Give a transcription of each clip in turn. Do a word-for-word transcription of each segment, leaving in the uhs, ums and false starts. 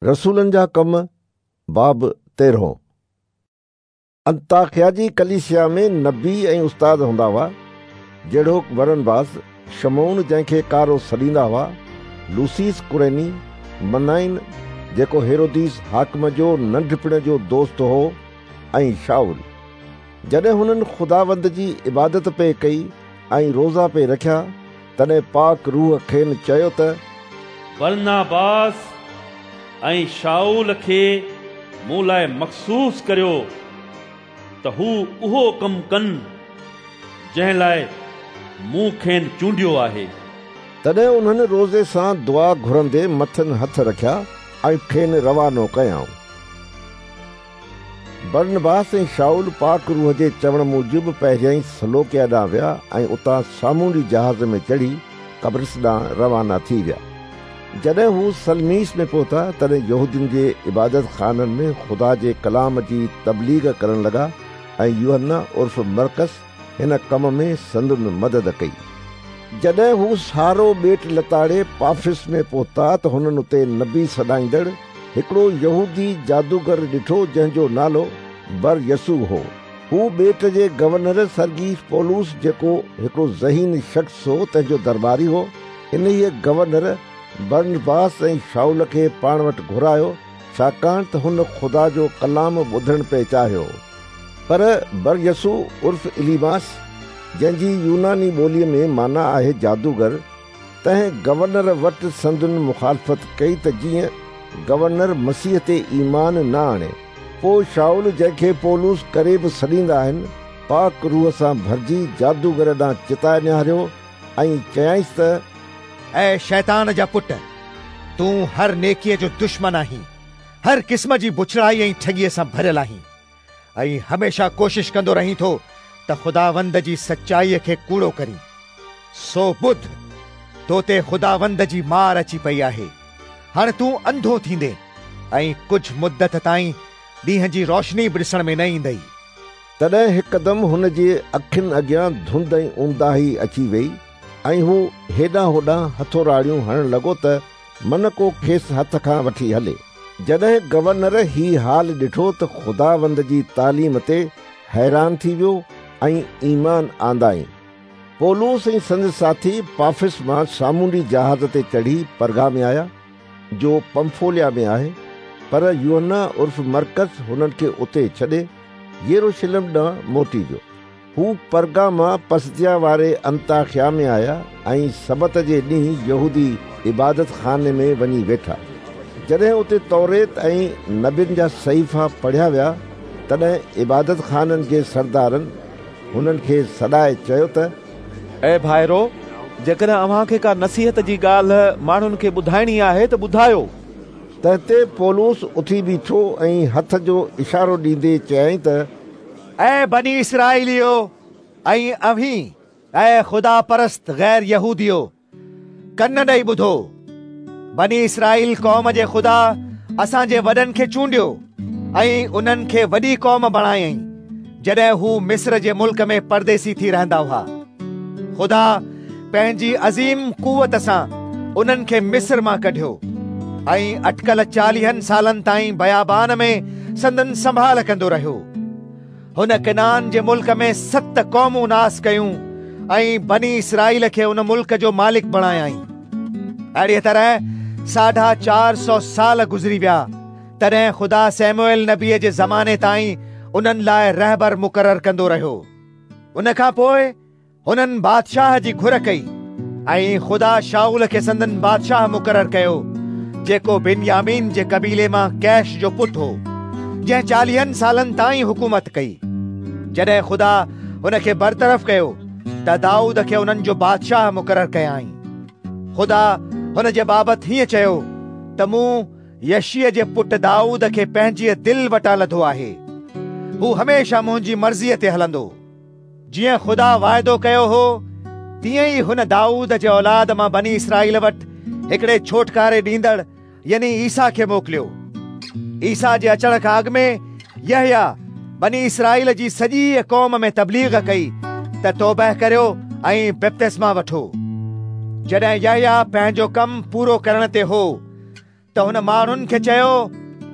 رسولن جا ڪم باب تيرهون. انطاڪيه جي ڪليسيا ۾ نبي ۽ استاد هوندا هئا، جهڙوڪ برنباس، شمعون جنهن کي ڪارو سڏيندا هئا، لوسيس ڪريني، منائن جيڪو هيروديس حاڪم جو ننڍپڻ جو دوست هو، ۽ شائول. جڏهن هنن خداوند جي عبادت پئي ڪئي ۽ روزا پئي رکيا، تڏهن پاڪ روح کين چيو ته برنباس ۽ شائول کي مون لاءِ مخصوص ڪريو ته هو اهو ڪم ڪن جنهن لاءِ مون کين چونڊيو آهي. تڏهن انهن روزي سان دعا گهرندي مٿن هٿ رکيا ۽ کين روانو ڪيائون. برنباس ۽ شائول پاڪ روح جي چوڻ موجب پهريائين سلوڪيا ڏانهن ويا ۽ اتان سامونڊي جهاز ۾ چڙهي قبرص ڏانهن روانا ٿي ويا. جڏهن هو سلميس ۾ پهتا، تڏهن يهودين جي عبادت خانن ۾ خدا جي ڪلام جي تبليغ ڪرڻ لڳا ۽ يوحنا عرف مرقس هن ڪم ۾ سندن مدد ڪئي. جڏهن هو سارو ٻيٽ لتاڙي پافس ۾ پهتا ته هنن اتي نبي سڏائيندڙ هڪڙو يهودي جادوگر ڏٺو، جنهن جو نالو بر يسوع هو. هو ٻيٽ جي گورنر سرگيس پولس، جيڪو هڪڙو ذهين شخص هو، تنهن جو درٻاري هو. انهيءَ گورنر برنباس ۽ شائول کي پاڻ وٽ گهرايو، ڇاڪاڻ ته هن خدا جو ڪلام ٻڌڻ پئي چاهيو. پر بر يسوع عرف اليماس، جنهن جي يوناني ٻوليءَ ۾ معنيٰ آهي جادوگر، تنهن گورنر وٽ سندن مخالفت ڪئي ته جيئن گورنر مسيح تي ايمان نه آڻي. پوءِ شائول، جنهن کي پولس ڪري به سڏيندا آهن، پاڪ روح سان ڀرجي جادوگر ڏانهن چتائي نهاريو ۽ چيائينس ته اي شيطان جا پٽ، تون هر نيڪيءَ جو دشمن آهين، هر قسم جي بڇڙائي ۽ ٺڳيءَ سان ڀريل آهين ۽ هميشه ڪوشش ڪندو رهين ٿو ته خداوند جي سچائيءَ کي ڪوڙو ڪرين. سو ٻڌ، تو تي خداوند جي مار اچي پئي آهي. هاڻي تون انڌو ٿيندين ۽ ڪجهه مدت تائين ڏينهن جي روشني به ڏسڻ ۾ نه ايندئي. تڏهن هڪدم هن جي اکين اڳيان ڌنڌ ۽ اونداهي اچي وئي ۽ هو هيڏانهن هوڏانهن هٿوراڙيون هڻڻ لڳو ته من ڪو کيس هٿ کان وٺي هلي. جڏهن گورنر هي حال ڏٺو ته خداوند جي تعليم تي حيران ٿي ويو ۽ ايمان آندائين. پولس ۽ سندس ساٿي پافس مان سامونڊي جهاز تي چڙهي پرگا ۾ آيا، جو پمفوليا ۾ آهي. پر يوحنا عرف مرقس هنن کي اتي ڇڏي يروشلم ڏانهن موٽي ويو. هو پرگا مان پسديا واري انطاڪيه ۾ آيا ۽ سبت جي ڏينهن يهودي عبادت خاني ۾ وڃي ويٺا. جڏهن اتي توريت ۽ نبين جا صحيفا پڙهيا ويا، تڏهن عبادت خانن جي سردارن هنن کي سڏائي چيو ته اي ڀائرو، جيڪڏهن اوهان کي ڪا نصيحت جي ڳالهه ماڻهن کي ٻڌائڻي آهي ته ٻڌايو. تنهن تي پولس اٿي بيٺو ۽ هٿ جو اشارو ڏيندي چيائين ته اي بني اسرائيليو ۽ اوهين اي خدا پرست غير يهوديو، ڪن ڏيئي ٻڌو. بني اسرائيل قوم جي خدا اسان جي وڏن کي چونڊيو ۽ انهن کي وڏي قوم بڻايائين، جڏهن هو مصر جي ملڪ ۾ پرديسي ٿي رهندا هئا. خدا پنهنجي عظيم قوت سان انهن کي مصر مان ڪڍيو ۽ اٽڪل چاليهن سالن تائين بيابان ۾ سندن سنڀال ڪندو رهيو. هن ڪنعان جي ملڪ ۾ ست قومون ناس ڪيون ۽ بني اسرائيل کي ان ملڪ جو مالڪ بڻايائين. اهڙيءَ طرح ساڍا چار سؤ سال گذري ويا. تڏهن خدا سيموئيل نبيءَ جي زماني تائين انهن لاءِ رهبر مقرر ڪندو رهيو. ان کان پوءِ هنن بادشاهه جي گهر ڪئي ۽ خدا شائول کي سندن بادشاهه مقرر ڪيو، جيڪو بنيامين جي قبيلي مان ڪيش جو پٽ هو، جنهن چاليهن سالن تائين حڪومت ڪئي. جڏهن خدا هن کي برطرف ڪيو ته دائود کي انهن جو بادشاهه مقرر ڪيائين. خدا هن جي بابت هيئن چيو ته مون يشيءَ جي پٽ دائود کي پنهنجيءَ دل وٽان لڌو آهي. هو هميشه منهنجي مرضيءَ تي هلندو. جيئن خدا واعدو ڪيو هو، تيئن ئي هن دائود جي اولاد مان بني اسرائيل وٽ هڪڙي ڇوٽڪاري ڏيندڙ يعني عيسيٰ کي موڪليو. عيسيٰ جي اچڻ کان اڳ ۾ يحيٰ بني اسرائيل جي سڄي قوم ۾ تبليغ ڪئي ته توبه ڪريو ۽ بپتسما وٺو. جڏهن يحيٰ پنهنجو ڪم پورو ڪرڻ تي هو، ته हुन माण्हुनि खे चयो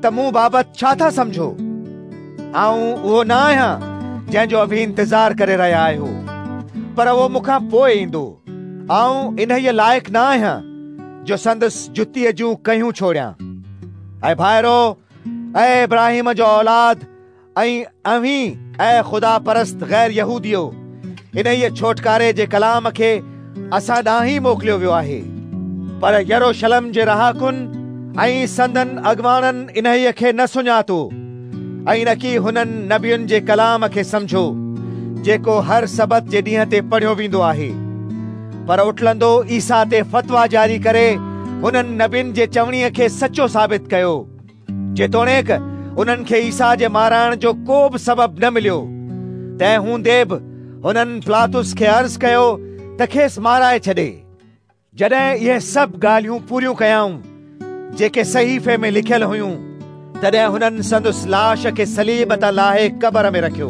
त मूं बाबति छा था सम्झो? आउं उहो न आहियां जंहिंजो अव्हीं इंतज़ार करे रहिया आहियो, पर उहो मूंखां पोइ ईंदो। आउं इन्हीअ लाइक़ न आहियां जो संदसि जुतीअ जूं कयूं छोड़ियां। ऐं भाइरो, ऐं इब्राहिम जो औलाद ऐं अव्हीं ऐं ख़ुदा परस्त ग़ैर यहूदियो, इन्हीअ छोटकारे जे कलाम खे असां ॾांहुं ई मोकिलियो वियो आहे। पर यरूशलेम जे रहाकुनि ऐं संदन अॻवाणनि इन्हीअ खे न सुञातो ऐं न की हुननि नबियुनि जे कलाम खे सम्झो जेको हर सबत जे ॾींहं ते पढ़ियो वेंदो आहे। पर उटलंदो ईसा ते फतवा जारी करे हुननि नबियुनि जे चवणीअ खे सचो साबित कयो। जेतोणीकि उन्हनि खे ईसा जे माराइण जो को बि सबबु न मिलियो, तंहिं हूंदे बि हुननि पिलातुस खे अर्ज़ कयो त खेसि माराए छॾे। जॾहिं इहे सभु ॻाल्हियूं पूरियूं कयाऊं जेके सहीफ़े में लिखियल हुयूं, तॾहिं हुननि संदसि लाश खे सलीब तां लाहे क़बर में रखियो।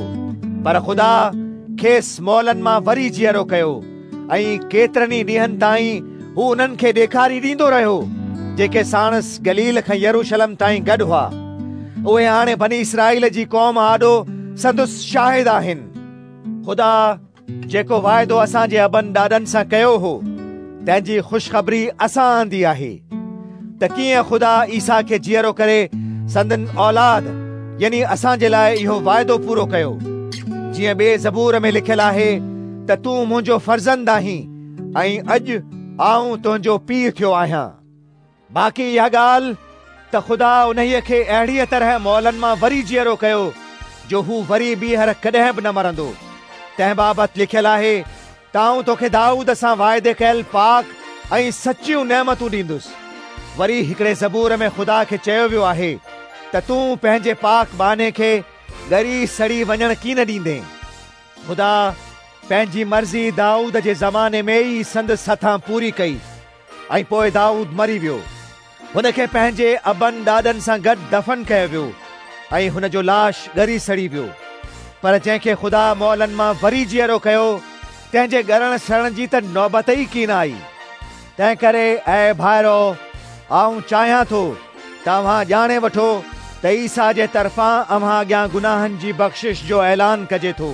पर ख़ुदा खेसि मौलनि मां वरी जीअरो कयो ऐं केतिरनि ई ॾींहनि ताईं हू उन्हनि खे ॾेखारी ॾींदो रहियो जेके साणसि गलील खां यरूशलेम ताईं गॾु हुआ। उहे हाणे बनी इसराईल जी क़ौम आॾो संदसि शाहिद आहिनि। ख़ुदा जेको वाइदो असांजे अबनि ॾाॾनि सां कयो हो, तंहिंजी ख़ुशख़बरी असां आंदी आहे त कीअं ख़ुदा ईसा खे जीअरो करे संदन औलाद यानी असांजे लाइ इहो वाइदो पूरो कयो। जीअं ॿिए ज़बूर में लिखियल आहे त तूं मुंहिंजो फर्ज़ंद आहीं ऐं अॼु आउं तुंहिंजो पीउ थियो आहियां। बाक़ी इहा ॻाल्हि त ख़ुदा उन्हीअ खे अहिड़ीअ तरह मौलनि मां वरी जीअरो कयो जो हू वरी ॿीहर कॾहिं बि न मरंदो। तंहिं बाबति लिखियल आहे त आउं तोखे दाऊद सां वाइदे कयल पाक ऐं सचियूं नेमतूं ॾींदुसि। वरी हिकिड़े ज़बूर में ख़ुदा खे चयो वियो आहे त तूं पंहिंजे पाक बाने खे ॻरी सड़ी वञण कीन ॾींदे। ख़ुदा पंहिंजी मर्ज़ी दाऊद जे ज़माने में ई संदसि हथां पूरी कई ऐं पोइ दाऊद मरी वियो। हुनखे पंहिंजे अबनि ॾाॾनि सां गॾु दफ़न कयो वियो ऐं हुन जो लाश ॻरी सड़ी वियो। पर जंहिंखे ख़ुदा मौलनि मां वरी जीअरो कयो, तंहिंजे ॻरण सड़ण जी त नौबत ई कीन आई। तंहिं करे ऐं भाइरो, आउं चाहियां थो त अव्हां ॼाणे वठो त ईसा जे तरफ़ां अव्हां अॻियां गुनाहनि जी बख़्शिश जो ऐलान कजे थो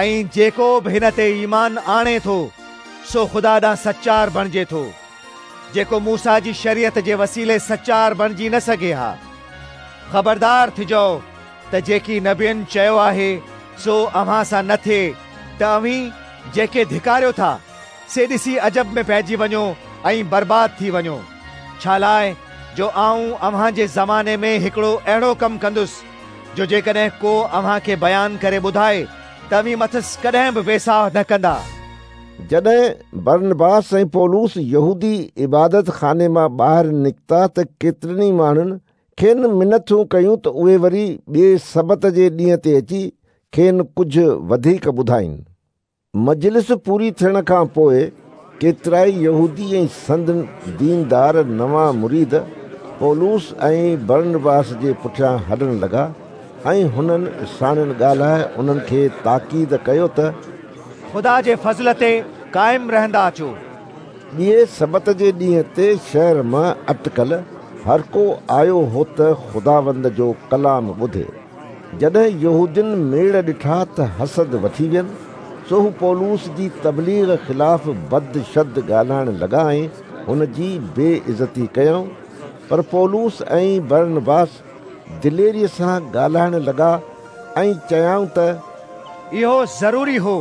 ऐं जेको बि हिन ते ईमान आणे थो सो ख़ुदा ॾांहुं सचार बणिजे थो, जेको मूसा जी शरीयत जे वसीले सचार बणिजी न सघे हा। ख़बरदार थिजो त जेकी नबियुनि चयो आहे सो अव्हां सां न थिए त अव्हीं जेके धिकारियो था से ॾिसी अजब में पइजी वञो ऐं बर्बाद थी वञो। छा लाइ जो आउं अव्हां जे ज़माने में हिकिड़ो अहिड़ो कमु कंदुसि जो जेकॾहिं को अव्हां खे बयानु करे ॿुधाए त अव्हीं मथसि कॾहिं बि वेसाह न कंदा। जॾहिं बरनबास ऐं पौलुस यहूदी इबादत खाने मां ॿाहिरि निकिता त केतिरनि ई माण्हुनि खेनि मिनथूं कयूं त उहे वरी ॿिए सबत जे ॾींहं ते अची खेनि कुझु वधीक ॿुधाइनि। मजलिस पूरी थियण खां पोइ केतिरा ई यहूदी ऐं संदन दीनदार नवां मुरीद पौलुस ऐं बरनबास जे पुठियां हलणु लॻा ऐं हुननि साणनि ॻाल्हाए उन्हनि खे ताक़ीद कयो त ख़ुदा जे फ़ज़ल ते क़ाइमु रहंदा अचो। ॿिए सबत जे ॾींहं ते शहर मां अटकल हर को आयो हो त ख़ुदावंद जो कलाम ॿुधे। जॾहिं यहूदियुनि मेड़ ॾिठा त हसद वठी वियनि, सो हू पौलुस जी तबलीग ख़िलाफ़ बद शद ॻाल्हाइण लॻा ऐं हुन जी बेइज़ती कयऊं। पर पौलुस ऐं बरनबास दिलेरीअ सां ॻाल्हाइण लॻा ऐं चयाऊं त इहो ज़रूरी हो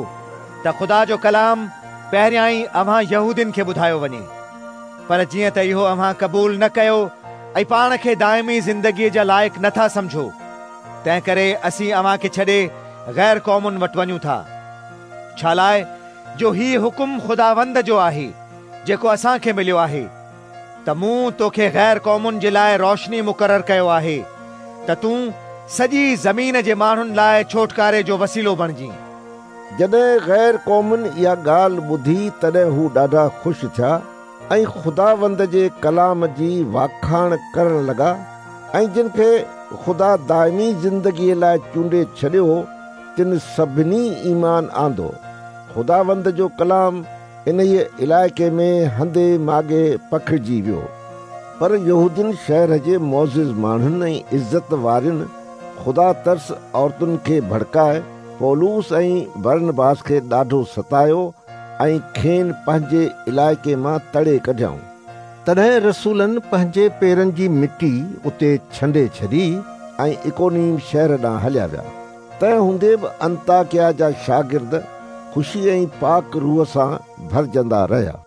त ख़ुदा जो कलाम पहिरियां ई अव्हां यहूदियुनि खे ॿुधायो वञे, पर जीअं त इहो अव्हां क़बूल न कयो ऐं पाण खे दाइमी ज़िंदगीअ जा लाइक़ नथा सम्झो, तंहिं करे असीं अव्हां खे छॾे ग़ैर क़ौमुनि वटि वञूं था। छा लाइ जो ही हुकुम ख़ुदावंद जो आहे जेको असांखे मिलियो आहे त मूं तोखे ग़ैर क़ौमुनि जे लाइ रोशनी मुक़ररु कयो आहे त तूं सॼी ज़मीन जे माण्हुनि लाइ छोटकारे जो वसीलो बणिजी। जॾहिं ग़ैर क़ौमुनि इहा ॻाल्हि ॿुधी तॾहिं हू ॾाढा ख़ुशि थिया ऐं ख़ुदावंद जे कलाम जी वाखाण करण लॻा ऐं जिन खे ख़ुदा दाइमी ज़िंदगीअ लाइ चूंडे छॾियो हो तिन सभिनी ईमान आंदो। ख़ुदावंद जो कलाम इन इलाइक़े में हंधे माॻे पखिड़जी वियो। پر يهودين شهر جي معزز ماڻهن ۽ عزت وارين خدا ترس عورتن کي ڀڙڪائي پولس ۽ برنباس کي ڏاڍو ستايو ۽ کين پنهنجي علائقي مان تڙي ڪڍيائون. تڏهن رسولن پنهنجي پيرن جي مٽي اتي ڇنڊي ڇڏي ۽ اڪونيم شهر ڏانهن هليا ويا. تنهن هوندي به انطاڪيا جا شاگرد خوشي ۽ پاڪ روح سان ڀرجندا رهيا.